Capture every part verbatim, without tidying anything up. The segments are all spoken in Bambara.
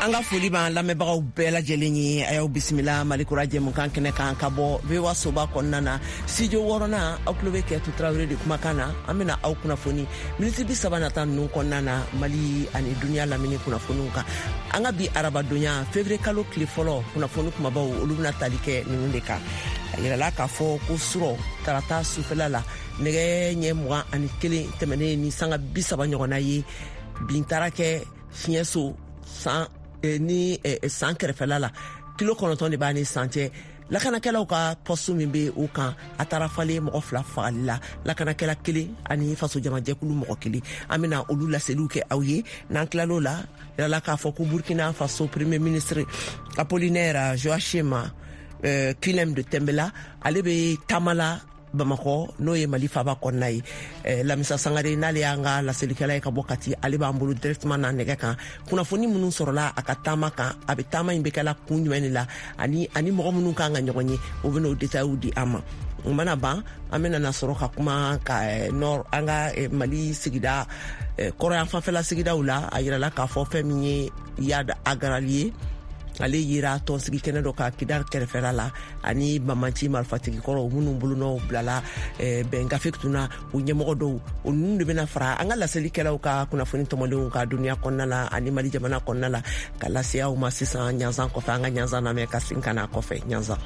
An ka foli b'an lamɛnbagaw bɛɛ lajɛlen ye. A y'aw bisimila Malikura jɛmukan kɛnɛ kan ka bɔ V O A soba kɔnɔna na, studio wɔɔrɔnan. Aw tulo bɛ Kɛtu Tarawele de kumakan na. An bɛna aw kunnafoni miniti bi saba nata ninnu kɔnɔna na, Mali ani duniya lamini kunnafoniw kan. An ka bi arabadonya, février kalo tile fɔlɔ kunnafoni kumabaw, olu bɛna tali kɛ ninnu de kan. A yirala k'a fɔ ko surɔ tarata sufɛla la, nɛgɛ ɲɛ mugan ani kelen tɛmɛnen ni sanga bi saba ɲɔgɔnna ye, bin taara kɛ Siɲɛso san ni san kɛrɛfɛla la. Kilo kɔnɔntɔn de b'a ni san cɛ. Lakanakɛlaw ka poste min bɛ o kan, a taara falen mɔgɔ fila fagali la, lakanakɛla kelen ani fasojamajɛkulu mɔgɔ kelen. An bɛna olu laseliw kɛ aw ye. N'an tilal'o la, yirala k'a fɔ ko Burkina Faso premier ministre Apollinaire Joachim euh, Kyelem de Tambela, ale bɛ taama la Bamakɔ, n'o ye Mali faba kɔnɔna ye. eh, lamisa Sangare, n'ale y'an ka laselikɛla ye ka bɔ Kati, ale b'an bolo directement na nɛgɛ kan. Kunnafoni minnu sɔrɔla a ka taama kan, a bɛ taama in bɛ kɛla kun jumɛn de la, ani ani mɔgɔ minnu kan ka ɲɔgɔn ye, o bɛn'o détails di an ma. O mana ban, an bɛna na sɔrɔ ka kuma ka eh, nord, an ka eh, Mali sigida kɔrɔyan fanfɛla sigidaw la. A yirala k'a fɔ fɛn min ye Iyad Ag Ghali ye, ale yera tɔnsigi kɛnɛ dɔ ka Kidal kɛrɛfɛla la, ani bamanci marifatigi kɔrɔw minnu bolonɔw bilala bɛn gafe tun na, u ɲɛmɔgɔ dɔw, o ninnu de bɛna fara an ka laselikɛlaw ka kunnafoni tɔmɔlenw ka duniya kɔnɔna la ani Mali jamana kɔnɔna la, ka lase aw ma sisan ɲanzan kɔfɛ. An ka ɲanzan lamɛn ka segin ka na kɔfɛ ɲanzan.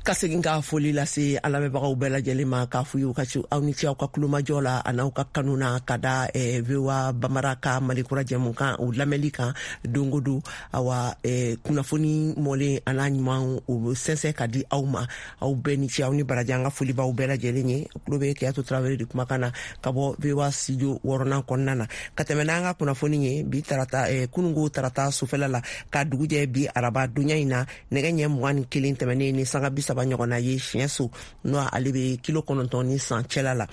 Ka segin ka foli lase an lamɛnbagaw bɛɛ lajɛlen ma, k'a f'u ye u ka ci aw ni ce aw ka kulomajɔ la a n'aw ka kanu na ka da eh, V O A Bamara ka Malikura jɛmukan o lamɛnli kan don o don. Awa, eh, kunnafoni mɔlen a n'a ɲuman, o bɛ sɛnsɛn ka di aw ma. Aw bɛɛ ni ce, aw ni baraji. An ka foli b'aw bɛɛ lajɛlen ye. Tulo bɛ Keyatu Tarawele de kumakan na ka bɔ V O A studio wɔɔrɔnan kɔnɔna na. Ka tɛmɛ n'an ka kunnafoni ye, bi tarata, eh, kununko tarata sufɛla la ka dugu jɛ bi araba donya in na, nɛgɛ ɲɛ mugan ni kelen tɛmɛnen ni sanga bi saba ɲɔgɔnna ye, Siɲɛso, n'o ale bɛ kilo kɔnɔntɔn ni san cɛla la,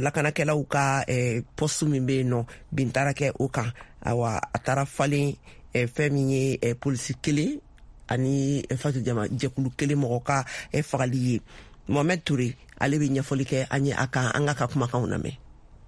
lakanakɛlaw ka eh, poste min bɛ yen nɔ, bin taara kɛ o kan. Awa, a taara falen eh, fɛn min ye eh, polisi kelen ani fasojama jɛkulu kelen mɔgɔ ka eh, fagali ye. Mohamed Toure, ale bɛ ɲɛfɔli kɛ an ye a kan. An ka ka kumakanw lamɛn.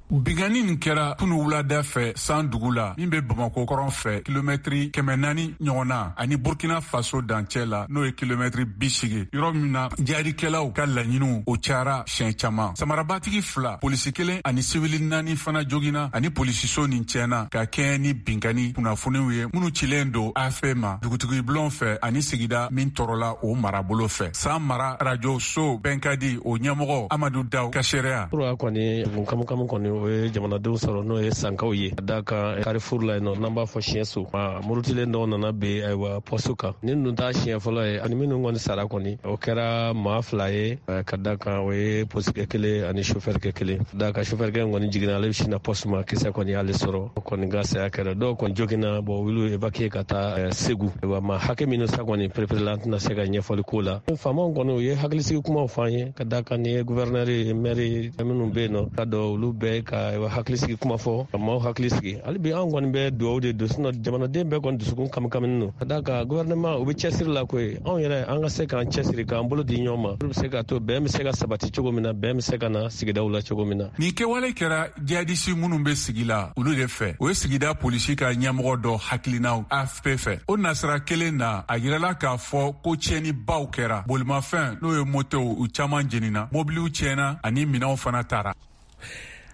Binkanni nin kɛra kunu wulada fɛ San dugu la, min bɛ Bamako kɔrɔn fɛ, kilomɛtiri kɛmɛ naani ɲɔgɔn na, ani Burkina Faso dancɛ la, n'o ye kilomɛtiri bi segi, yɔrɔ min na jihadikɛlaw ka laɲiniw o cayara siɲɛ caman. Samarabatigi fila, polisi kelen ani sibili naani fana jogina, ani polisiso nin tiɲɛna, ka kɛɲɛ ni binkanni kunnafoniw ye minnu cilen don A F P ma dugutigi bulon fɛ ani sigida min tɔɔrɔla o marabolo fɛ. San mara arajo so Bɛnkadi, o ɲɛmɔgɔ Amadu Daw ka seereya. Kɔni kamukamu kɔni, o ye jamanadenw sɔrɔ, n'o ye sankaw ye, ka da kan Carrefour la yen nɔ, n'an b'a fɔ Siɲɛso, murutilen dɔw nana ben, ayiwa, poste kan. Nin dun t'a siɲɛ fɔlɔ ye. Ani minnu kɔni sara kɔni, o kɛra maa fila ye, ka da kan o ye polisikɛ kelen ani sofɛrikɛ kelen. Ka da kan sofɛrikɛ kɔni jiginna, ale bɛ sin na poste ma, kisɛ kɔni y'ale sɔrɔ, o kɔni ka saya kɛra. Dɔw kɔni joginna, bon, olu évacué ka taa Segu. Ayiwa, maa hakɛ minnu sa kɔni pereperela, an tɛna se ka ɲɛfɔli k'o la. Faamaw kɔni, u ye hakilisigi kumaw fɔ an ye, ka da kan nin ye gouverneur ye, maire minnu bɛ yen nɔ, ka dɔn olu bɛɛ ka hakilisigi kuma fɔ, ka maaw hakili sigi. Hali bi an kɔni bɛ dugawu de don, sinon jamanaden bɛɛ kɔni dusukun kamikaminen don, ka da kan gouvernement u bɛ cɛsiri la koyi. Anw yɛrɛ, an ka se k'an cɛsiri, k'an bolo di ɲɔgɔn ma, olu bɛ se ka to bɛn bɛ se ka sabati cogo min na, bɛn bɛ se ka na sigidaw la cogo min na. Nin kɛwale kɛra jihadisi minnu bɛ sigi la, olu de fɛ. O ye sigida polisi ka ɲɛmɔgɔ dɔ hakilinaw A F P fɛ. O nasira kelen na, a yirala k'a fɔ ko tiɲɛnibaw kɛra. Bolimafɛn, n'o ye motow, u caman jenina, mobiliw tiɲɛna ani minɛnw fana tara.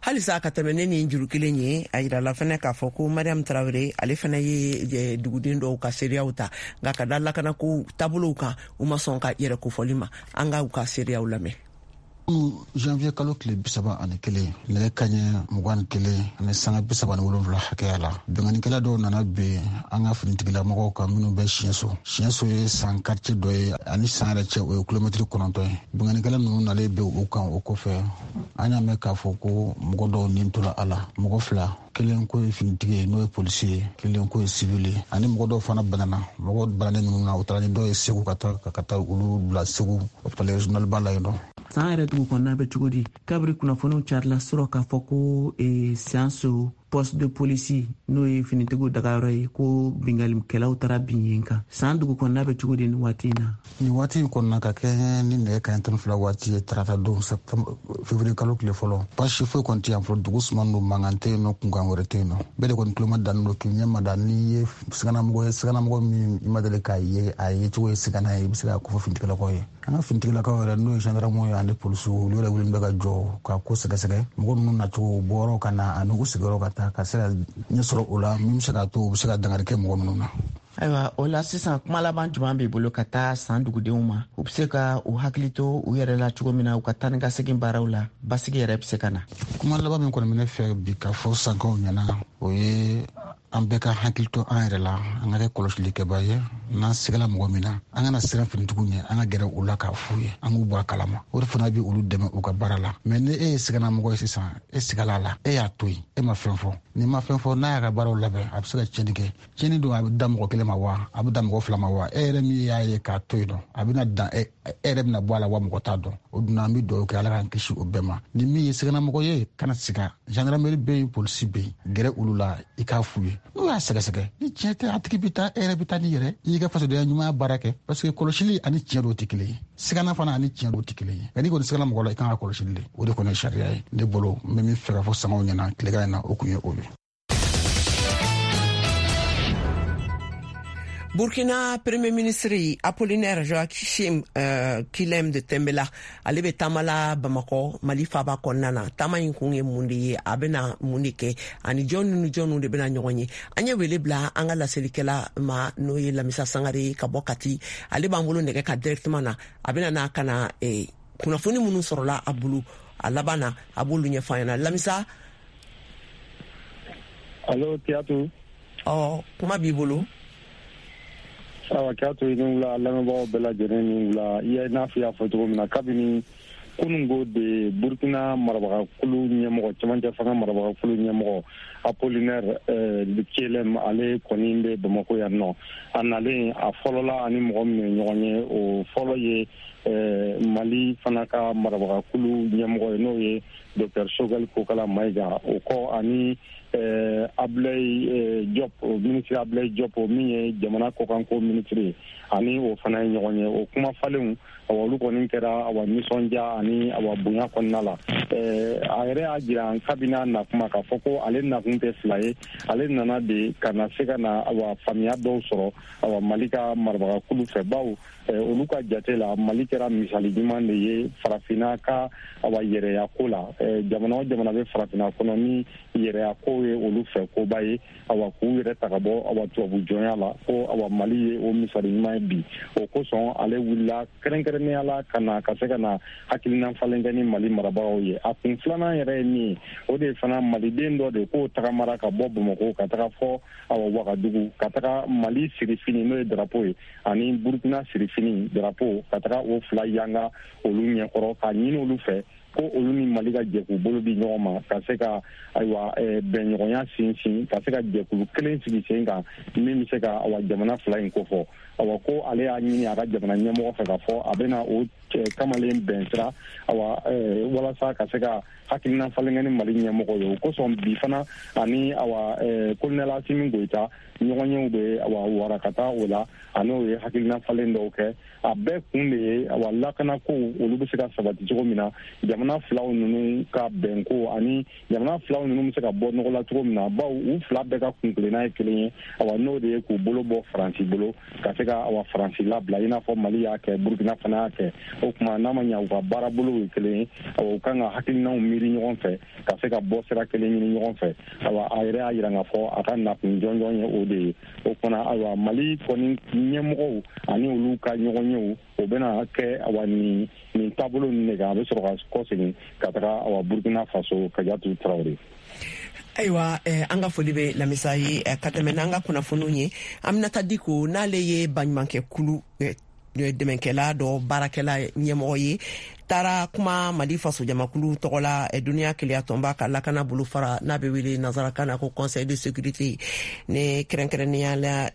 Halisa ka tɛmɛ ne ni juru kelen ye, a yirala fɛnɛ k'a fɔ ko Mariam Tarawele, ale fɛnɛ ye duguden dɔw ka seereyaw ta, nka ka da lakanako taabolow kan, u ma sɔn ka yɛrɛ kofɔli ma. An ka u ka seereyaw lamɛn. Janvier kalo tile bi saba ani kelen, nɛgɛ kaɲɛ mugan ni kelen ani sanga bi saba ni wolonfila hakɛya la, binkannikɛla dɔw nana bin an ka finitigilamɔgɔw kan minnu bɛ Siɲɛso. Siɲɛso ye San quartier dɔ ye, ani San yɛrɛ cɛ, o ye kilomɛtiri kɔnɔntɔn ye. Binkannikɛla ninnu nalen bɛ u kan, o kɔfɛ an y'a mɛn k'a fɔ ko mɔgɔ dɔw nin tora a la, mɔgɔ fila, kelen ko ye finitigi ye, n'o ye polisi ye, kelen ko ye sivili ye, ani mɔgɔ dɔw fana banana. Mɔgɔ bananen ninnu na, u taara ni dɔw ye Segu, ka taa ka taa olu bila Segu hôpital régional ba la yen nɔ. San yɛrɛ dugu kɔnɔna bɛ cogo di, kabiri kunnafoniw carila sɔrɔ k'a fɔ ko e, Siyanso Poste de police n'o ye finitigiw dagayɔrɔ ye, ko binkannikɛlaw taara bin yen kan. San dugu kɔnɔna bɛ cogo di nin waati in na? Nin waati in kɔnɔna ka kɛ ni nɛgɛ kanɲɛ tan ni fila waati ye, tarata don septembre février kalo tile fɔlɔ, baasi foyi kɔni tɛ yan fɔlɔ. Dugu suman don, mankan tɛ yen nɔ, kunkan wɛrɛ tɛ yen nɔ. Bɛɛ de kɔni tulo ma dannen don k'i ɲɛ ma da. N'i ye siganamɔgɔ ye, siganamɔgɔ min i ma deli k'a ye, a ye cogo ye sigana ye, i bɛ se k'a kofɔ finitigilakaw ye. An ka finitigilakaw yɛrɛ, n'o ye gendarmew ye ani polisiw, olu yɛrɛ wulilen bɛ ka jɔ ka ko sɛgɛsɛgɛ, mɔgɔ ninnu nacogo, u bɔyɔrɔ ka na ani u sigiyɔrɔ ka taa, ka se ka ɲɛ sɔrɔ o la min bɛ se k'a to u bɛ se ka dankari kɛ mɔgɔ minnu na. Ayiwa, o la sisan kuma laban jumɛn b'i bolo ka taa san dugudenw ma, u bɛ se ka u hakili to u yɛrɛ la cogo min na u ka taa ni ka segin baaraw la, basigi yɛrɛ bɛ se ka na? Kuma laban min kɔni bɛ ne fɛ bi ka fɔ sankaw ɲɛna, o ye an bɛɛ ka hakili to an yɛrɛ la, an ka kɛ kɔlɔsilikɛba ye. N'an sigala mɔgɔ min na, an kana siran finitigiw ɲɛ, an ka gɛrɛ u la k'a f'u ye, an k'u bɔ a kalama. O de fana bɛ olu dɛmɛ u ka baara la. Mɛ ni e ye siganamɔgɔ ye sisan, e sigala a la, e y'a to yen, e ma fɛn fɔ, n'i ma fɛn fɔ, n'a y'a ka baaraw labɛn, a bɛ se ka tiɲɛni kɛ. Tiɲɛni don, a bɛ da mɔgɔ kelen ma wa, a bɛ da mɔgɔ fila ma wa, e yɛrɛ min y'a ye k'a to yen nɔ, a bɛna dan e yɛrɛ bɛna bɔ a la wa, mɔgɔ t'a dɔn. O dun, an bɛ dugawu kɛ Ala k'an kisi o bɛɛ ma. Ni min ye siganamɔgɔ ye, kana siga, gendarmerie bɛ yen, polisi bɛ yen, gɛrɛ olu la, i k'a f'u ye. N'u y'a sɛgɛsɛgɛ, ni tiɲɛ tɛ, a tigi bɛ taa, e yɛrɛ bɛ taa n'i yɛrɛ, i y'i ka fasodenya ɲumanya baara kɛ. Parce que kɔlɔsili ani tiɲɛ dɔw tɛ kelen ye, sigana fana ani tiɲɛ dɔw tɛ kelen ye. Nka n'i kɔni sigana mɔgɔ la, i kan ka kɔlɔsili de. O de kɔni ye sariya ye ne bolo. N bɛ min fɛ ka fɔ sangaw ɲɛna tilegan in na, o kun ye o ye. Burkina Premier ministre Apollinaire Joachim euh, Kyélem de Tambèla, ale bɛ taama la Bamakɔ, Mali faaba kɔnɔna na. Taama in kun ye mun de ye, a bɛna mun de kɛ, ani jɔn ni jɔnw de bɛna ɲɔgɔn ye? An ye wele bila an ka laselikɛla ma, n'o ye Lamisa Sangare ka bɔ Kati. Ale b'an bolo nɛgɛ ka directement na. A bɛna n'a ka na eh, kunnafoni minnu sɔrɔla a bolo a laban na, a b'olu ɲɛfɔ an ɲɛna. Lamisa. Allo Kiyatu. Ɔ, kuma b'i bolo. Awa Kiyatu, i ni wula, lamɛnbagaw bɛɛ lajɛlen ni wula. I n'a fɔ i y'a fɔ cogo min na, kabini kununko de Burkina marabagakulu ɲɛmɔgɔ, cɛmancɛ fanga marabagakulu ɲɛmɔgɔ Apollinaire Kyélem, ale kɔni bɛ Bamakɔ yan nɔ. A nalen, a fɔlɔla ani mɔgɔ min ye ɲɔgɔn ye, o fɔlɔ ye Mali fana ka marabagakulu ɲɛmɔgɔ ye, n'o ye Docteur Choguel Kokala Maïga. O kɔ, ani Abdoulaye Diop, ministre Abdoulaye Diop, min ye jamana kɔkanko ministre ye, ani o fana ye ɲɔgɔn ye. O kuma falenw, awa olu kɔni kɛra awa nisɔndiya ani awa bonya kɔnɔna la. A yɛrɛ y'a jira kabini a na kuma k'a fɔ ko ale nakun tɛ fila ye, ale nana de ka na se ka na awa faamuya dɔw sɔrɔ awa Mali ka marabagakulu fɛ, bawo olu ka jate la, Mali kɛra misali ɲuman de ye farafinna ka awa yɛrɛya ko la. Jamana o jamana bɛ farafinna kɔnɔ ni yɛrɛya ko ye olu fɛ koba ye, awa k'u yɛrɛ ta ka bɔ awa tubabu jɔnya la, ko awa Mali ye o misali ɲuman ye bi. O kosɔn ale wulila kɛrɛnkɛrɛnnenya la ka na ka se ka na hakilina falen kɛ ni Mali marabagaw ye. A kun filanan yɛrɛ ye min ye, o de fana maliden dɔ de k'o tagamara ka bɔ Bamakɔ ka taga fɔ awa Wagadugu, ka taga Mali sirifini n'o ye drapeau ye ani Burkina sirifini drapeau, ka taga o fila yanga olu ɲɛkɔrɔ, k'a ɲini olu fɛ ko olu ni Mali ka jɛkulu bolo di ɲɔgɔn ma, ka se ka ayiwa bɛnɲɔgɔnya sinsin, ka se ka jɛkulu kelen sigi sen kan min bɛ se ka awa jamana fila in kofɔ. Awa ko ale y'a ɲini a ka jamana ɲɛmɔgɔ fɛ k'a fɔ a bɛna o kamalen bɛn sira awa walasa ka se ka hakilina falen kɛ ni Mali ɲɛmɔgɔ ye. O kosɔn bi fana ani awa colonel Assimi Goïta ɲɔgɔnyew bɛ awa wara ka taa o la, a n'o ye hakilina falen dɔw kɛ. A bɛɛ kun de ye awa lakanako olu bɛ se ka sabati cogo min na, jamana filaw ninnu ka bɛnko ani jamana filaw ninnu bɛ se ka bɔ nɔgɔ la cogo min na, bawo u fila bɛɛ ka kunkilenna ye kelen ye, awa n'o de ye k'u bolo bɔ Faransi bolo ka se ka awa Faransi labila, i n'a fɔ Mali y'a kɛ, Burkina fana y'a kɛ. O tuma n'a ma ɲɛ u ka baarabolow ye kelen ye, awa u kan ka hakilinaw miiri ɲɔgɔn fɛ ka se ka bɔ sira kelen ɲini ɲɔgɔn fɛ. Awa a yɛrɛ y'a jira k'a fɔ a ka nakun jɔnjɔn ye o de ye. O fana awa Mali kɔni ɲɛmɔgɔw ani olu ka ɲɔgɔnyew, o bɛna kɛ awa nin nin taabolo ninnu de kan, a bɛ sɔrɔ ka kɔsegin ka taga awa Burkina Faso. Kajatu Tarawele. Ayiwa, eh, an ka foli bɛ Lamisa ye. eh, ka tɛmɛ n'an ka kunnafoniw ye, Aminata Diko, n'ale ye baɲumankɛ kulu eh, dɛmɛkɛla dɔ baarakɛla ɲɛmɔgɔ ye, taara kuma Mali fasojamakulu tɔgɔ la duniya keleyatɔnba ka lakana bolofara n'a bɛ wele nansarakan na ko Conseil de sécurité, ne kɛrɛnkɛrɛnnenya la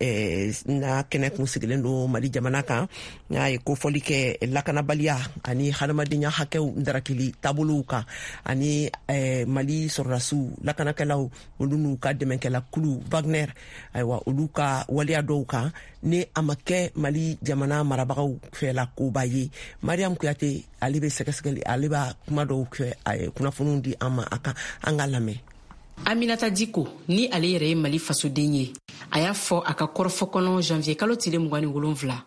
n'a kɛnɛ kun sigilen don Mali jamana kan, n'a ye kofɔli kɛ lakanabaliya ani hadamadenya hakɛw darakili taabolow kan, ani Mali sɔrɔdasiw lakanakɛlaw olu n'u ka dɛmɛkɛla kulu Wagner, ayiwa olu ka waleya dɔw kan ni a ma kɛ Mali jamana marabagaw fɛla koba ye. Mariam Kuyate ale bɛ sɛgɛsɛgɛli, ale b'a kuma dɔw kɛ, a ye kunnafoniw di an ma a kan, an ka lamɛn. Aminata Diko ni ale yɛrɛ ye Mali fasoden ye, a y'a fɔ a ka kɔrɔfɔ kɔnɔ janvier kalo tile mugan ni wolonfila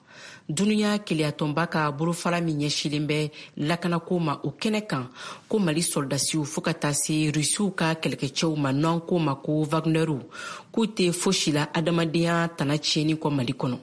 duniya keleyatɔnba ka bolofara min ɲɛsilen bɛ lakanako ma o kɛnɛ kan, ko Mali sɔrɔdasiw fo ka taa se Rusiw ka kɛlɛkɛcɛw ma n'an ko ma ko Wagnerw, k'u tɛ fosi la adamadenya tana tiɲɛni kɔ Mali kɔnɔ.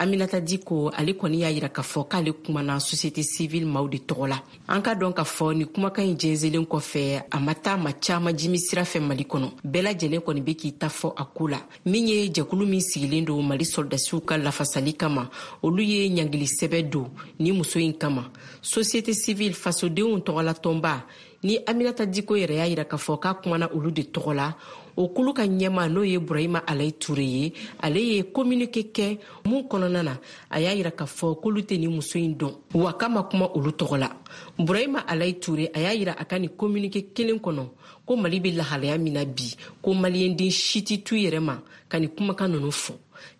Aminata Diko ale kɔni y'a yira k'a fɔ k'ale kumana société civile maaw de tɔgɔ la. An ka dɔn k'a fɔ ni kumakan in jɛnsɛnlen kɔfɛ, a ma taa ma caman jimi sira fɛ Mali kɔnɔ. Bɛɛ lajɛlen kɔni bɛ k'i ta fɔ a ko la. Min ye jɛkulu min sigilen don Mali sɔrɔdasiw ka lafasali kama, olu ye ɲangili sɛbɛ don ni muso in kama. Société civile fasodenw tɔgɔlatɔnba ni Aminata Diko yɛrɛ y'a yira k'a fɔ k'a kumana olu de tɔgɔ la. O kulu ka ɲɛma n'o ye Burahima Alayi Ture ye, ale ye communiqué kɛ mun kɔnɔna na, a y'a yira k'a fɔ k'olu tɛ nin muso in dɔn, wa k'a ma kuma olu tɔgɔ la. Burahima Alayi Ture a y'a yira a ka nin communiqué kelen kɔnɔ ko Mali bɛ lahalaya min na bi, ko maliyɛnden si tɛ t'u yɛrɛ ma ka nin kumakan ninnu fɔ.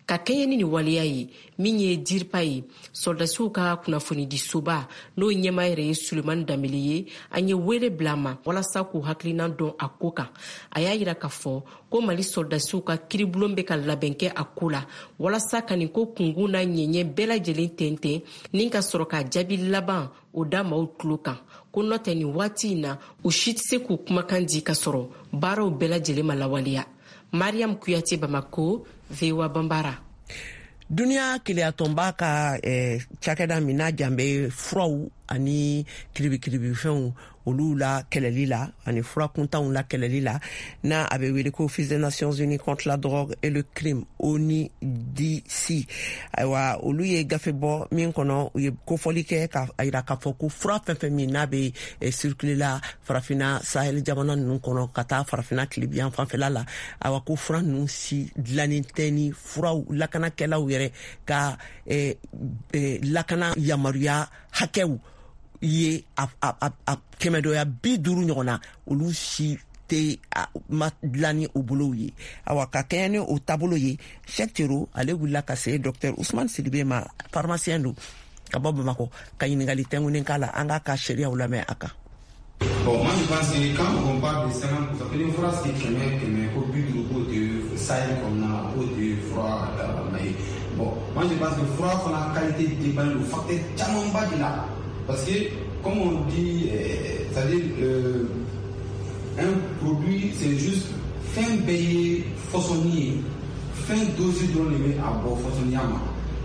Ka kɛɲɛ ni nin waleya ye, min ye DIRPA ye, sɔrɔdasiw ka kunnafonidisoba n'o ɲɛmaa yɛrɛ ye Sulemani Danbele ye, an ye wele bila a ma walasa k'u hakilina dɔn a ko kan. A y'a yira k'a fɔ ko Mali sɔrɔdasiw ka kiiribulon bɛ ka labɛn kɛ a ko la walasa ka nin ko kunkun n'a ɲɛɲɛ bɛɛ lajɛlen tɛntɛn ni ka sɔrɔ ka jaabi laban o da maaw tulo kan, ko n'o tɛ nin waati in na u si tɛ se k'u kumakan di ka sɔrɔ baaraw bɛɛ lajɛlen ma lawaleya. Mariam Kuyate, Bamako, V O A Bambara. Duniya keleyatɔnba ka eh, cakɛda min n'a jan bɛ furaw ani kiribikiribifɛnw olu la kɛlɛli la ani fura kuntanw la kɛlɛli la, n'a a bɛ wele ko Office des Nations Unies contre la drogue et le crime, O N U D C, ayiwa olu ye gafe bɔ min kɔnɔ u ye kofɔli kɛ ka yira k'a fɔ ko fura fɛn fɛn min n'a bɛ circuler la farafinna Sahel jamana ninnu kɔnɔ ka taa farafinna tilebiyan fanfɛla la, ayiwa ko fura ninnu si dilannen tɛ ni furaw lakanakɛlaw yɛrɛ ka eh, eh, lakana yamaruya hakɛw ye a a a kɛmɛdɔya bi duuru ɲɔgɔn na, olu si tɛ ma dilan ni o bolow ye. Awa ka kɛɲɛ ni o taabolo ye, Cheikh Tero ale wulila ka se docteur Ousmane Sidibe ma, pharmacien don ka bɔ Bamakɔ, ka ɲininkali tɛnkunnen k'a la. An k'a ka sariyaw lamɛn a kan. Bon, moi je pense que quand on parle de cinquante pour cent, une phrase qui est kɛmɛ kɛmɛ ko bi duuru k'o tɛ Sahel kɔnɔna na, k'o tɛ fura ye. Bon, moi je pense que fura fana qualité dépend de facteur camanba de la. Parce que, comme on dit, euh, c'est-à-dire euh, un produit, c'est juste fin bɛɛ ye fɔsɔnni ye, fɛn dosi dɔrɔn de bɛ a bɔ fɔsɔnniya ma.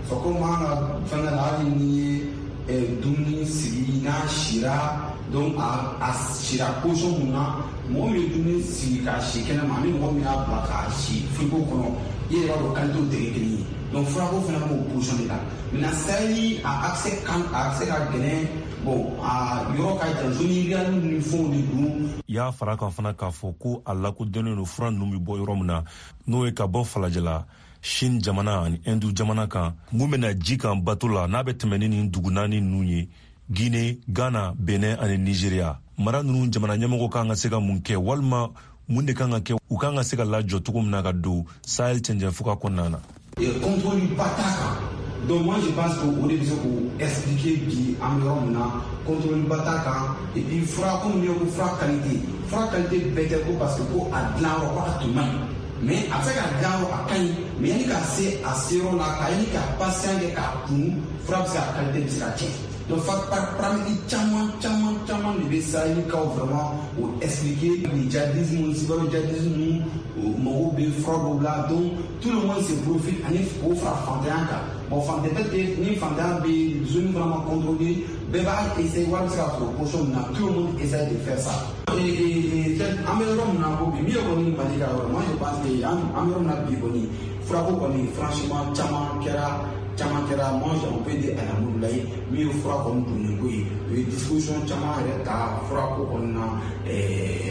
C'est comme an ka fɛngɛ la, hali n'i ye dumuni sigi n'a sira, donc a a sira position mun na, mɔgɔ min ye dumuni sigi k'a si kɛnɛ ma ani mɔgɔ min y'a bila k'a si frigo kɔnɔ, i yɛrɛ b'a dɔn qualité tɛ kɛ kelen ye. Donc furako fana b'o position de la. Maintenant Sahel a accès kan a accès ka gɛlɛn, bon a yɔrɔ ka jan, zone rurale ni fɛnw de don. I y'a fara kan fana k'a fɔ ko a lakodɔnnen don fura ninnu bɛ bɔ yɔrɔ min na, n'o ye ka bɔ falajɛla, Chine jamana ani Hindu jamana kan, mun bɛna ji kan bato la n'a bɛ tɛmɛ ni nin dugu naani ninnu ye, Guinée, Ghana, Benin ani Nigeria. Mara ninnu jamana ɲɛmɔgɔ kan ka se ka mun kɛ, walima mun de kan ka kɛ, u kan ka se ka lajɔ cogo min na ka don Sahel cɛncɛnfuga kɔnɔna na. Contrôle ba t'a kan. Donc moi je pense que o de bɛ se k'o expliquer bi an bɛ yɔrɔ min na, contrôle ba t'a kan. Et puis fura, komi n'i ko fura qualité, fura qualité bɛɛ tɛ ko parce que ko a dilan yɔrɔ ko a tun man ɲi, mais a bɛ se ka dilan yɔrɔ a ka ɲi, mais yanni ka se a seyɔrɔ la, ka yanni ka patient kɛ k'a kun, fura bɛ se ka qualité bɛ se ka tiɲɛ. Donc paramètre caman caman caman de bɛ Sahel kaw vraiment o expliquer. Ni djihadisme, cyber djihadisme mago bɛ fura dɔw la, donc tout le monde se profite ani k'o fara fantanya kan. Bon, fantanya tɛ, ni fantanya bɛ zone fana ma contrôler, bɛɛ b'a essayer wari bɛ se ka sɔrɔ position min na, tout le monde essaie de faire ça. Et et an bɛ yɔrɔ min na ko bi, min ye kɔni Mali ka yɔrɔ, moi je pense que an an bɛ yɔrɔ min na bi kɔni, furako kɔni franchement caman kɛra. Caman kɛra, moi on peut dire alhamdulilayi, min ye fura kɔni donnen ko ye, u ye disposition caman yɛrɛ ta fura ko kɔni na.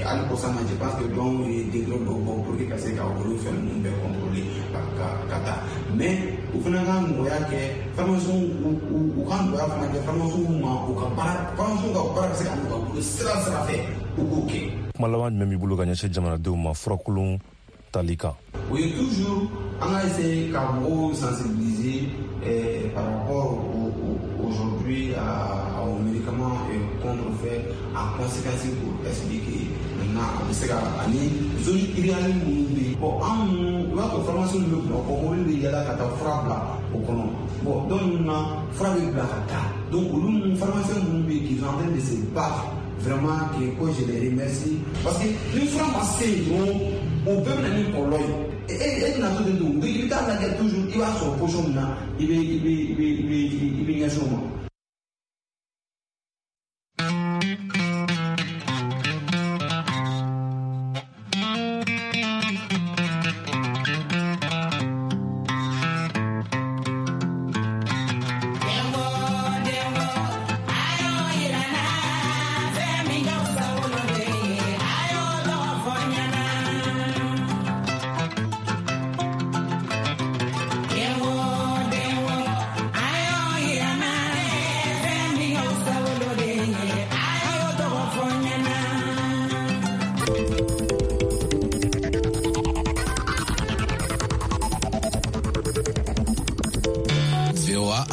Hali kɔsa na, je pense que dɔw ye décret dɔw bɔ pour que ka se ka olu fɛn ninnu bɛɛ contrôler ka ka ka taa. Mais u fana ka nɔgɔya kɛ pharmaciens, u ka nɔgɔya fana kɛ pharmaciens ma, u ka baara, pharmaciens ka baara bɛ se ka nɔgɔya u bolo sira sira fɛ, u k'o kɛ. Kuma laban jumɛn b'i bolo ka ɲɛsin jamanadenw ma furakolon tali kan? O ye toujours an ka essayer ka mɔgɔw sensibiliser eh, par rapport au, au, aujourd'hui à, aux médicaments contrefaits, en conséquence pour expliquer maintenant a bɛ se ka ani zone irréelle minnu bɛ yen. Bon, an ninnu, i b'a sɔrɔ pharmacie ninnu bɛ Bamakɔ, mobili bɛ yala ka taa fura bila o kɔnɔ. Bon, dɔw ninnu na, fura bɛ bila ka taa. Donc olu ninnu, pharmaciens minnu bɛ yen qui sont en train de se battre vraiment, que ko je les remercie, parce que ni fura ma se yen dɔrɔn, o bɛɛ bɛ na ni kɔlɔlɔ ye. E e bɛna to ten, don i bɛ taa lajɛ toujours, i b'a sɔrɔ position min na, i bɛ i bɛ i bɛ i bɛ i bɛ ɲɛsin o ma.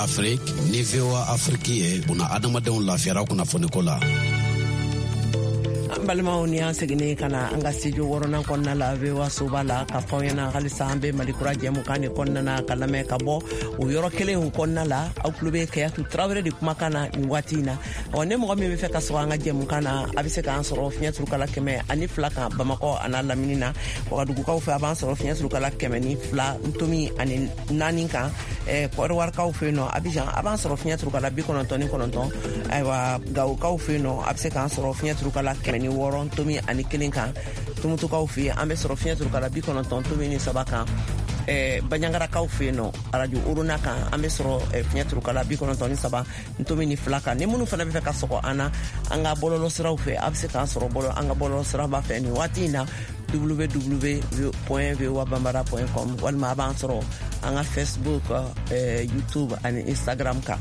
Afrique ni V O A Afrique ye buna adamadenw lafiyara kunnafoniko la. An balimaw, ni an seginnen ka na an ka studio wɔɔrɔnan kɔnɔna la V O A soba la, ka fɔ aw ɲɛna halisa an bɛ Mali kura jɛmukan de kɔnɔna na ka lamɛn ka bɔ o yɔrɔ kelen kɔnɔna la. Aw tulo bɛ Kayatu Tarawele de kumakan na nin waati in na. Ɔ, ne mɔgɔ min bɛ fɛ ka sɔrɔ an ka jɛmukan na, a bɛ se k'an sɔrɔ fiɲɛ turukala kɛmɛ ani fila kan Bamakɔ a n'a lamini na. Wagadugukaw fɛ, a b'an sɔrɔ fiɲɛ turukala kɛmɛ ni fila ntomi ani naani kan. Kɔdiwarikaw fɛ yen nɔ, Abijan, a b'an sɔrɔ fiɲɛ turukala bi kɔnɔntɔn ni kɔnɔntɔn. Ayiwa, Gawokaw fɛ yen nɔ, a bɛ se k'an sɔrɔ fiɲɛ turukala kɛmɛ ni wɔɔrɔ tomi ani kelen kan. Tumutukaw fɛ yen, an bɛ sɔrɔ fiɲɛ turukala bi kɔnɔntɔn tomi ni saba kan. Banjangarakaw fɛ yen nɔ, arajo Orona kan, an bɛ sɔrɔ fiɲɛ turukala bi kɔnɔntɔn ni saba ntomi ni fila kan. Ni minnu fana bɛ fɛ ka sɔgɔ an na an ka bɔlɔlɔ siraw fɛ, a bɛ se k'an sɔrɔ bɔlɔ an ka bɔlɔlɔ siraba fɛ nin waati in na, w w w point v o a bambara point com, walima a b'an sɔrɔ an ka Facebook, eh, YouTube ani Instagram kan.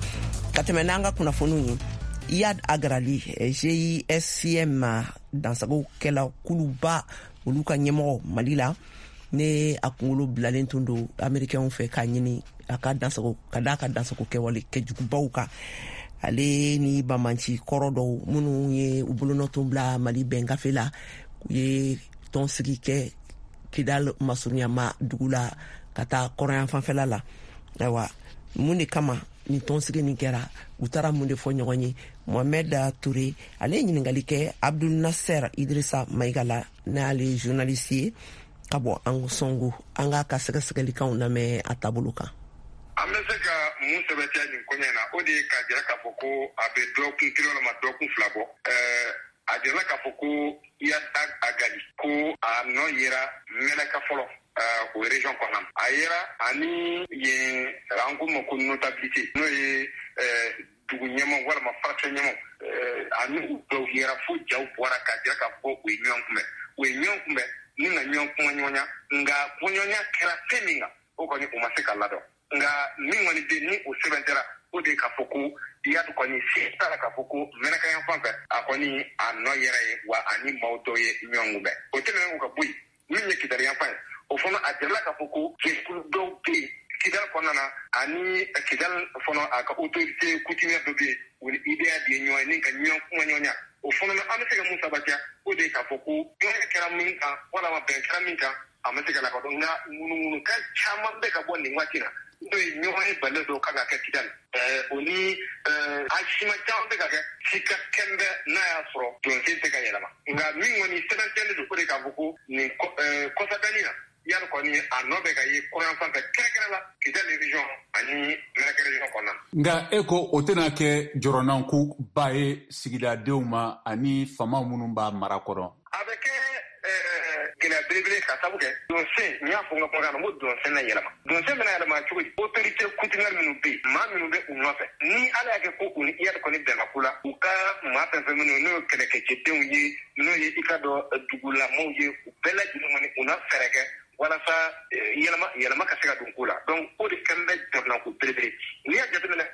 Ka tɛmɛ n'an ka kunnafoniw ye, Iyad Ag Ghali, G I S C M dansago kɛla kuluba olu ka ɲɛmɔgɔ Mali la, ne a kunkolo bilalen tun don américains fɛ k'a ɲini a ka dansago ka d'a ka dansago kɛwale kɛjugubaw kan. Ale ni bamanci kɔrɔ dɔw minnu ye u bolonɔ tun bila Mali bɛn gafe la, u ye tɔnsigi kɛ Kidal masurunyama dugu la ka taa kɔrɔyan fanfɛla la. Ayiwa, mun de kama ni tɔnsigi nin kɛra, u taara mun de fɔ ɲɔgɔn ye? Mohamed Touré ale ye ɲininkali kɛ Abdul Nasser Idrissa Maïga la, n'ale ye journaliste ye ka bɔ Ansongo. An k'a ka sɛgɛsɛgɛlikanw lamɛn a taabolo kan. An bɛ se ka mun sɛbɛntiya nin koɲɛ na, o de ye k'a jira k'a fɔ ko a bɛ dɔgɔkun kelen walima dɔgɔkun fila bɔ. A jirala k'a fɔ ko Iyad Ag Ghali ko a nɔ yera Mɛnaka fɔlɔ o région kɔnɔna na. A yera ani yen an ko ma ko notabilité, n'o ye dugu ɲɛmaw walima farafin ɲɛmaw, ani u dɔw yera fo jaw bɔra k'a jira k'a fɔ u ye ɲɔgɔn kunbɛn. U ye ɲɔgɔn kunbɛn ni ka ɲɔgɔn kumaɲɔgɔnya, nka kumaɲɔgɔnya kɛra fɛn min kan, o kɔni u ma se ka ladɔn. Nka min kɔni bɛ ni o sɛbɛn tɛra, o de ye k'a fɔ ko Iyad kɔni se t'a la k'a fɔ ko Mɛnaka yan fan fɛ, a kɔni a nɔ yɛrɛ ye wa ani maaw dɔw ye ɲɔgɔn kunbɛn. O tɛmɛnen kɔ ka bɔ yen, min ye Kidali yan fan ye, o fana a jirala k'a fɔ ko jɛkulu dɔw bɛ yen Kidali kɔnɔna na, ani Kidali fana a ka autorité coutumière dɔ bɛ yen, u ni I D A de ye ɲɔgɔn ye ni ka ɲɔgɔn kumaɲɔgɔnya. O fana an bɛ se ka mun sabatiya, o de ye k'a fɔ ko ɲɔgɔn kɛra min kan walima bɛn kɛra min kan, a ma se ka lakodɔn. Nka ŋunuŋunukan caman bɛ ka bɔ nin waati na, n'o ye ɲɔgɔn ye balilen dɔw kan ka kɛ Kidali, o ni a siman caman bɛ ka kɛ sika kɛnbɛ n'a y'a sɔrɔ jɔnsen tɛ ka yɛlɛma. Nka min kɔni sɛbɛntiyalen don, o de k'a fɔ ko nin kɔsabɛnni na, Iyad kɔni a nɔ bɛ ka ye kɔrɔyan fan fɛ, kɛrɛnkɛrɛn la Kidali région ani Mɛnaka région kɔnɔna na. Nka e ko o tɛna kɛ jɔrɔnankoba ye sigidadenw ma ani faama minnu b'a mara kɔnɔ? A bɛ kɛ gɛlɛya belebele ka sabu kɛ donsen, n y'a fɔ n ka kumakan na, n ko donsen na yɛlɛma. Donsen bɛna yɛlɛma cogo di? Autorité coutumière minnu bɛ yen, maa minnu bɛ u nɔfɛ, ni Ala y'a kɛ ko u ni Iyad kɔni bɛnna ko la, u ka maa fɛn fɛn minnu n'o ye kɛlɛkɛcɛdenw ye, n'o ye i ka dɔn dugulamaw ye, u bɛɛ lajɛlen kɔni u na fɛɛrɛ kɛ walasa yɛlɛma yɛlɛma ka se ka don ko la. Donc o de fɛn bɛ jamana ko belebele. N'i y'a jateminɛ,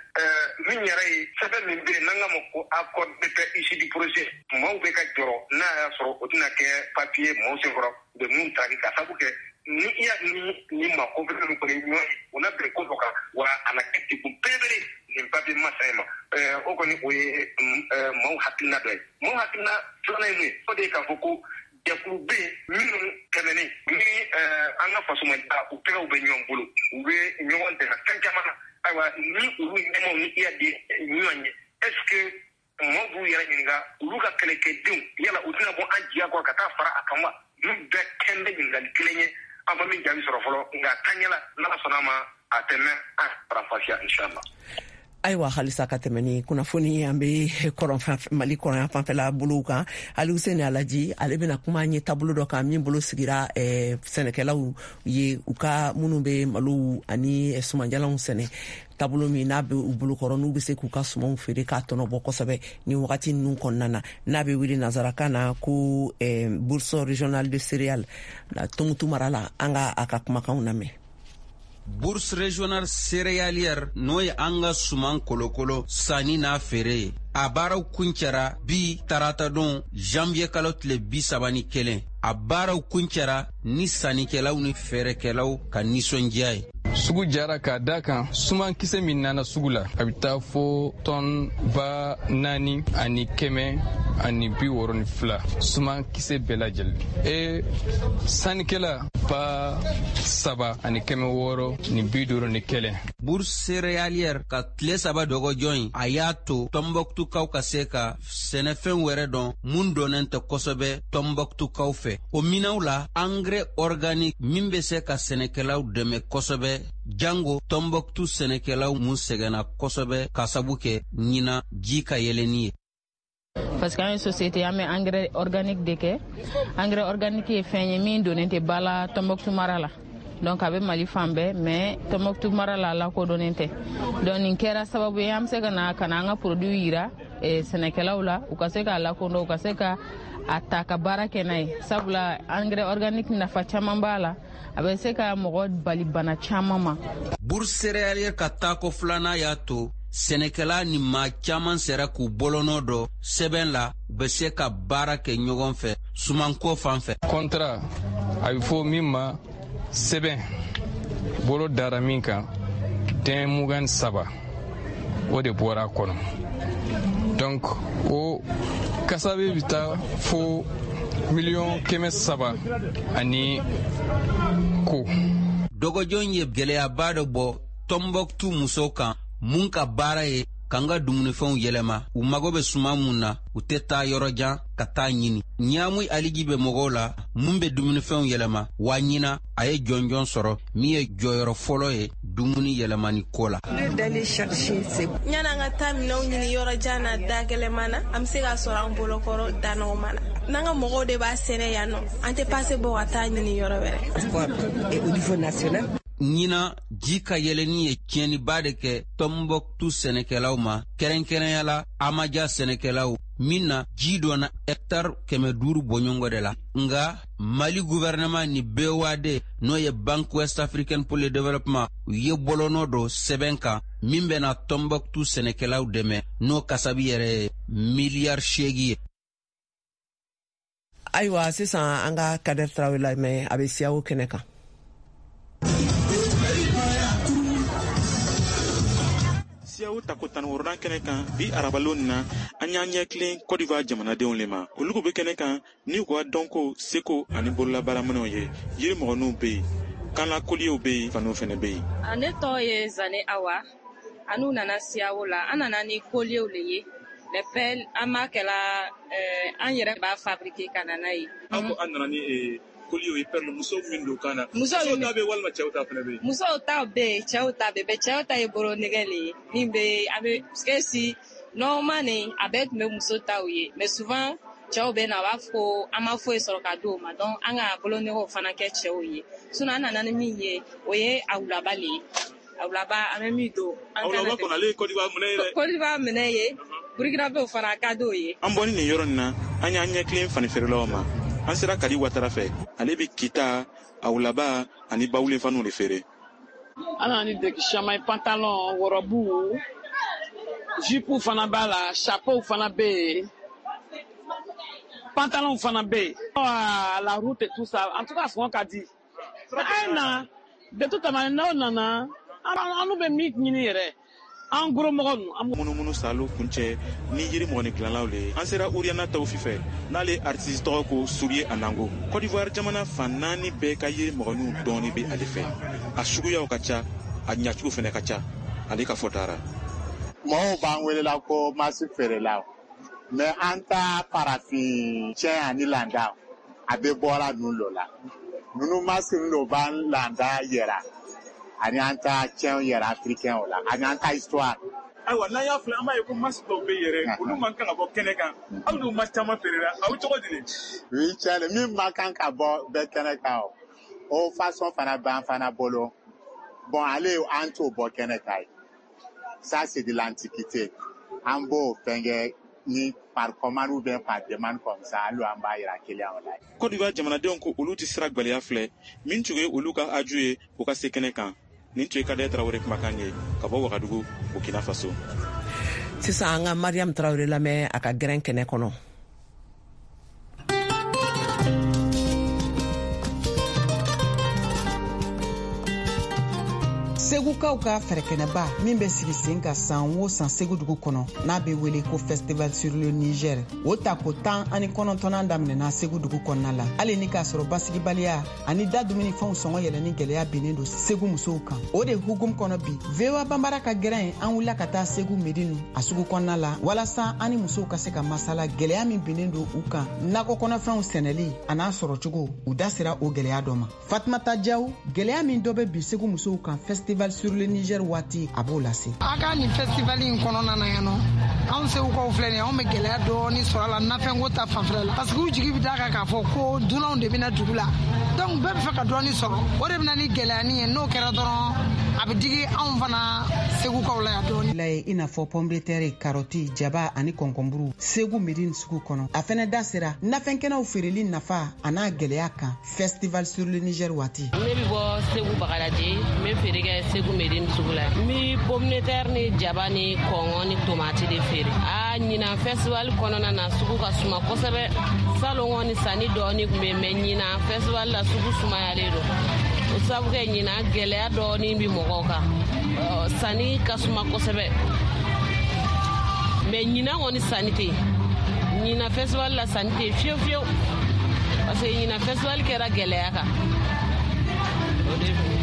min yɛrɛ ye sɛbɛn min bɛ yen n'an k'a ma ko accord de paix issu du projet, maaw bɛ ka jɔrɔ n'a y'a sɔrɔ o tɛna kɛ papier maaw senkɔrɔ u bɛ mun taraki, ka sabu kɛ ni i y'a ni ni maa kofɛn min kɔni ɲɔgɔn ye, u na bɛn ko dɔ kan, wa a na kɛ degun belebele nin papier masa in ma. O kɔni o ye maaw hakilina dɔ ye. Maaw hakilina filanan ye mun ye? O de ye k'a fɔ ko jɛkulu bɛ yen minnu tɛmɛnen ni an ka fasomadiya, u tɛgɛw bɛ ɲɔgɔn bolo, u bɛ ɲɔgɔn dɛmɛ fɛn caman na. Ayiwa, ni olu ɲɛmaaw ni i y'a di ɲɔgɔn ye, est ce que maaw b'u yɛrɛ ɲininka olu ka kɛlɛkɛdenw yala u tɛna bɔ an jiya kɔrɔ ka taa fara a kan wa? Ninnu bɛɛ kɛn bɛ ɲininkali kelen ye, an ma min jaabi sɔrɔ fɔlɔ, nka taaɲɛ la, n'Ala sɔnna a ma, a tɛ mɛn an faranfasiya, inshallah. Ayiwa, halisa ka tɛmɛ ni kunnafoni, an be Mali kɔrɔya fanfɛla bolow kan. Ali Huseni Alaji, ale bena kuma an ye taabolo dɔ kan min bolo sigira eh, sɛnɛkɛlaw ye, u ka minnu be malow ani sumanjalanw sɛnɛ, taabolo min n'a be u bolokɔrɔ, n'u be se k'u ka sumanw feere k'a tɔnɔ bɔ kosɛbɛ ni wagati nunu kɔnɔna na, n'a be wele nansarakan na ko eh, bourse régionale de céréales Tumutu mara la. An ka a ka kumakanw lamɛn. Bourse régionale céréalière, n'o ye an ka suman kolokolo sanni n'a feere ye, a baaraw kuncɛra bi taratadon, janvier kalo tile bi saba ni kelen. A baaraw kuncɛra ni sannikɛlaw ni feerekɛlaw ka nisɔndiya ye. Sugu jara k'a da kan sumankisɛ min nana sugu la, a bɛ taa fo tɔn ba naani ani kɛmɛ ani bi wɔɔrɔ ni fila, sumankisɛ bɛɛ lajɛlen, e sannikɛla ba saba ani kɛmɛ wɔɔrɔ ni bi duuru ni kelen. Bourse céréalière ka tile saba dɔgɔjɔ in, a y'a to Tɔnbɔkutukaw ka se ka sɛnɛfɛn wɛrɛ dɔn mun dɔnnen tɛ kosɛbɛ Tɔnbɔkutukaw fɛ. O minɛw la, engrais organique min bɛ se ka sɛnɛkɛlaw dɛmɛ kosɛbɛ, jango Tɔnbɔkutu sɛnɛkɛlaw mun sɛgɛnna kosɛbɛ ka sabu kɛ ɲina ji ka yɛlɛni ye. Parce que an ye société, an bɛ engrais organique de kɛ. Engrais organique ye fɛn ye min donnen tɛ ba la Tɔnbɔkutu mara la. Donc a bɛ Mali fan bɛɛ, mais Tɔnbɔkutu mara la, a lakodɔnnen tɛ. Donc nin kɛra sababu ye an bɛ se ka na ka na an ka produit yira eh, sɛnɛkɛlaw la, u ka se k'a lakodɔn, u ka se ka a ta ka baara kɛ n'a ye, sabula engrais organique nafa caman b'a la, a bɛ se ka mɔgɔ bali bana caman ma. Bourse céréalière ka taako filanan y'a to sɛnɛkɛla ni maa caman sera k'u bolonɔ dɔ sɛbɛn la, u bɛ se ka baara kɛ ɲɔgɔn fɛ sumanko fan fɛ. Contrat, a bɛ fɔ min ma sɛbɛn bolo dara min kan, den mugan saba o de bɔra a kɔnɔ. Donc o kasabe bɛ taa fo miliyɔn kɛmɛ saba ani ko. Dɔgɔjɔn ye gwɛlɛyaba dɔ bɔ Tɔnbɔkutu musow kan mun ka baara ye k'an ka dumunifɛnw yɛlɛma. U mago bɛ suman mun na, u tɛ taa yɔrɔ jan ka taa ɲini. Ɲaamu aliji bɛ mɔgɔw la mun bɛ dumunifɛnw yɛlɛma wa. Ɲina a ye jɔnjɔn sɔrɔ min ye jɔyɔrɔ fɔlɔ ye dumuni yɛlɛmani ko la. Yan'an ka taa minɛnw ɲini yɔrɔ jan na, da gɛlɛman na, an bɛ se k'a sɔrɔ an bolokɔrɔ da nɔgɔman na. N'an ka mɔgɔw de b'a sɛnɛ yan nɔ, an tɛ pase bɔ ka taa ɲini yɔrɔ wɛrɛ. Ɲina ji ka yɛlɛni ye tiɲɛniba de kɛ Tɔnbɔkutu sɛnɛkɛlaw ma, kɛrɛnkɛrɛnya la Amaja sɛnɛkɛlaw min na ji donna hɛktare kɛmɛ duuru bɔɲɔgɔn de la. Nga Mali gouvernement ni B O A D, n'o ye Banque Ouest Africaine pour le Développement, u ye bolonɔ dɔ sɛbɛn kan min bɛna Tɔnbɔkutu sɛnɛkɛlaw dɛmɛ, n'o kasabi yɛrɛ ye miliyari seegi ye. Ayiwa, sisan an ka Kader Tarawele lamɛn, a bɛ siyawo kɛnɛ kan. Siyawo tako tan wɔɔrɔnan kɛnɛ kan bi arabalon na, an y'an ɲɛ tilen Cote d'Ivoire jamanadenw le ma. Olu bɛ kɛnɛ kan ni u ka dɔnko, seko ani bololabaaraminɛw ye. Yiri mɔgɔninw bɛ yen, kanla koliyew bɛ yen, faniw fɛnɛ bɛ yen. Ne tɔgɔ ye Zane Awa. Anu nana siyawo la, an nana ni koliyew le ye, les perles. An b'a kɛla an yɛrɛ b'a fabriquer ka na n'a ye. Aw ko an nana ni koliyew ye, perle, musow min don kan na. Musow ta bɛ walima cɛw ta fana bɛ yen? Musow ta bɛ yen, cɛw ta bɛ yen. Cɛw ta ye bolo nɛgɛ le ye min bɛ an bɛ, parce que si normalement nin a bɛɛ tun bɛ muso taw ye, mais souvent Cɛw bɛ na, u b'a fɔ ko an ma foyi sɔrɔ ka di o ma, donc an ka bolonɛgɛw fana kɛ cɛw ye. Sinon an nana ni min ye, o ye awulaba le ye. Awulaba, an bɛ min don. Awulaba kɔni, ale ye Côte d'Ivoire minɛ ye dɛ. Côte d'Ivoire minɛ ye, Burkinabéw fana ka d'o ye. An bɔni nin yɔrɔ nin na, an y'an ɲɛ tilen fani feerelaw ma. An sera Kadi Watara fɛ, ale bɛ kita, awulaba ani bawulen faniw de feere. An nana ni deki caman ye, pantalon, wɔrɔbu, jupe fana b'a la, chapeau fana bɛ yen, pantalon fana bɛ yen. La route et tout ça, en tout cas, sɔngɔ ka di. An na, de toute manière, n'aw nana, an bɛ min ɲini yɛrɛ, an gros mɔgɔ ninnu. Munumunu salo kuncɛ ni yiri mɔgɔni dilanlaw le ye. An sera Uriana Tawufi fɛ, n'ale artiste tɔgɔ ko Soulier Anango. Côte d'Ivoire jamana fan naani bɛɛ ka yiri mɔgɔniw dɔɔni bɛ ale fɛ. A suguyaw ka ca, a ɲacogo fɛnɛ ka ca. Ale ka fɔ taara. Mɔgɔw b'an welela ko masi feerelaw, mais an ta farafin cɛ ani landa, a bɛ bɔra ninnu lo la. Ninnu masi ninnu lo b'an landa yɛrɛ ani an ta cɛnw yɛrɛ africain o la, ani an ta histoire. Ayiwa, n'an y'a filɛ, an b'a ye ko masi dɔw bɛ yɛrɛ, olu man kan ka bɔ kɛnɛ kan. Aw n'u masi caman feerela, aw cogo di de? Oui, tiɲɛ, min man kan ka bɔ bɛɛ kɛnɛ kan, o o façon fana b'an fana bolo. Bon, ale an t'o bɔ kɛnɛ kan ye. Ça, c'est de l'antiquité. An b'o fɛnkɛ ni par commande ou bien par demande comme ça, hali an b'a yira client la. Côte d'Ivoire jamanadenw ko olu tɛ sira gwɛlɛya filɛ, min tun ye olu ka aju ye u ka se kɛnɛ kan. Nin tun ye Kadɛ Tarawele kumakan ye ka bɔ Wagadugu, Burkina Faso. Sisan an ka Mariam Tarawele lamɛn a ka gɛrɛn kɛnɛ kɔnɔ. Segukaw ka fɛrɛkɛnɛba min bɛ sigi sen ka san o san Segu dugu kɔnɔ, n'a bɛ wele ko Festival sur le Niger, o tako tan ani kɔnɔntɔnnan daminɛna Segu dugu kɔnɔna la. Hali ni k'a sɔrɔ basigibaliya ani da dumunifɛnw sɔngɔ yɛlɛnni gɛlɛya binnen don Segu musow kan. O de hukumu kɔnɔ bi, V O A Banbara ka gɛrɛn an wulila ka taa Segu Medinu a sugu kɔnɔna la, walasa an ni musow ka se ka masala gɛlɛya min binnen don u kan nakɔ kɔnɔfɛnw sɛnɛli a n'a sɔrɔcogo. U da sera o gɛlɛya dɔ ma. Fatumata Jaw, gɛlɛya min dɔ bɛ bi Segu musow kan Festival sur le Niger waati, a b'o lase. A ka nin festival in kɔnɔna na yan nɔ, anw segukaw filɛ nin ye, anw bɛ gɛlɛya dɔɔni sɔrɔ a la nafɛnko ta fanfɛla la, parce que u jigi bɛ d'a kan k'a fɔ ko dunanw de bɛna dugu la, donc bɛɛ bɛ fɛ ka dɔɔni sɔrɔ, o de bɛ na ni gɛlɛyani ye. N'o kɛra dɔrɔn, a bɛ digi anw fana segukaw la yan dɔɔni. La ye i n'a fɔ pomme de terre, karɔti, jaba ani kɔnkɔnburu Segu Medine sugu kɔnɔ. A fɛnɛ da sera nafɛnkɛnɛw feereli nafa a n'a gɛlɛya kan Festival sur le Niger waati. Ne bɛ bɔ Segu Bagadaji, n bɛ feere kɛ Segu Medine sugu la. N bɛ pomme de terre ni jaba ni kɔngɔ ni tomati de feere. A ɲinan festival kɔnɔna na, sugu ka suma kosɛbɛ. Salon kɔni sanni dɔɔni tun bɛ, mais ɲinan festival la sugu sumayalen don. O sababu kɛ ɲinan gɛlɛya dɔɔni bɛ mɔgɔw kan. Sanni ka suma kosɛbɛ, mais ɲinan kɔni sanni tɛ yen. Ɲinan festival la sanni tɛ yen fiyewu fiyewu, parce que ɲinan festival kɛra gɛlɛya kan. O de don.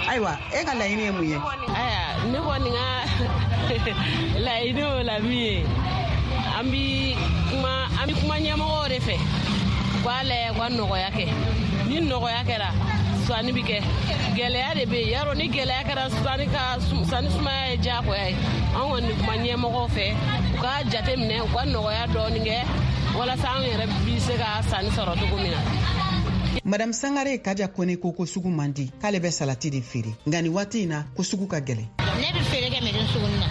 Ayiwa, e ka laɲini ye mun ye? Ayiwa, ne kɔni ka laɲini o la min ye, an bi kuma an bi kuma ɲɛmɔgɔw de fɛ, u k'a lajɛ u ka nɔgɔya kɛ. Ni nɔgɔya kɛra, sanni bi kɛ. Gɛlɛya de bɛ yen yarɔ, ni gɛlɛya kɛra sanni ka sanni sumaya ye diyagoya ye. An kɔni kuma ɲɛmɔgɔw fɛ, u k'a jate minɛ, u ka nɔgɔya dɔɔni kɛ walasa an yɛrɛ bi se ka sanni sɔrɔ cogo min na. Madame Sangare Kaja Kone ko ko sugu man di, k'ale bɛ salati de feere, nka nin waati in na ko sugu ka gɛlɛn. Ne bɛ feere kɛ Medine sugu na.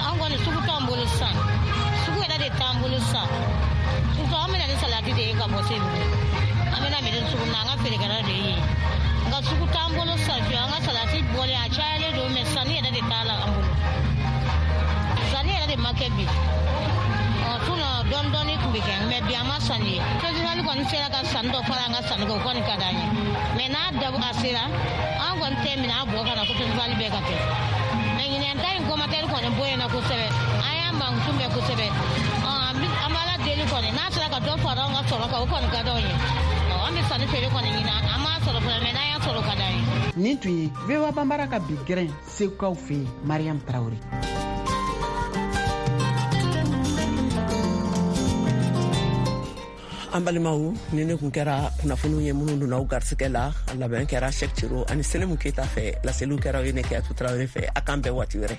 An kɔni sugu t'an bolo sisan, sugu yɛrɛ de t'an bolo sisan. Surtout an bɛna ni salati de ye ka bɔ Segu. An bɛna Medine sugu na, an ka feerekɛla de ye. Nka sugu t'an bolo sisan fiyewu, an ka salati bɔlen a cayalen don, mais sanni yɛrɛ de t'a la an bolo. Sanni yɛrɛ de ma kɛ bi. Sinon dɔɔni dɔɔni tun bɛ kɛ, mais bi an ma sanni ye. Festival kɔni sera ka sanni dɔ fara an ka sanni kan, o kɔni ka d'an ye. Mais n'a dabɔ a sera, an kɔni tɛ minɛ a bɔ ka na ko festival bɛɛ ka kɛ. Mais ɲinɛn ta in commentaire kɔni bonyana kosɛbɛ, an y'a mankutu mɛn kosɛbɛ. An b'a la deli kɔni, n'a sera ka dɔ fara an ka sɔrɔ kan, o kɔni ka d'anw ye. An bɛ sanni feere kɔni ɲini, an m'a sɔrɔ fɔlɔ, mais n'an y'a sɔrɔ o ka d'an ye. Nin tun ye V O A Banbara ka bi gɛrɛn Segukaw fɛ yen, Mariam Tarawele. An balimaw, ni ne kun kɛra kunnafoniw ye minnu donna aw garisigɛ la, a labɛn kɛra Cheick Cero ani Selemu Keita fɛ, laseliw kɛra aw ye ne Keyatu Tarawele fɛ. A k'an bɛn waati wɛrɛ.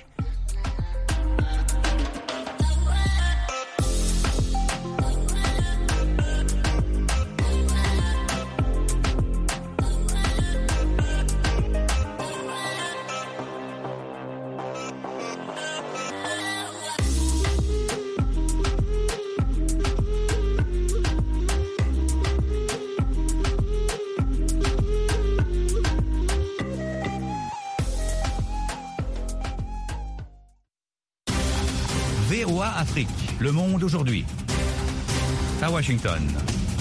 V O A Afrique, Le Monde aujourd'hui. À Washington.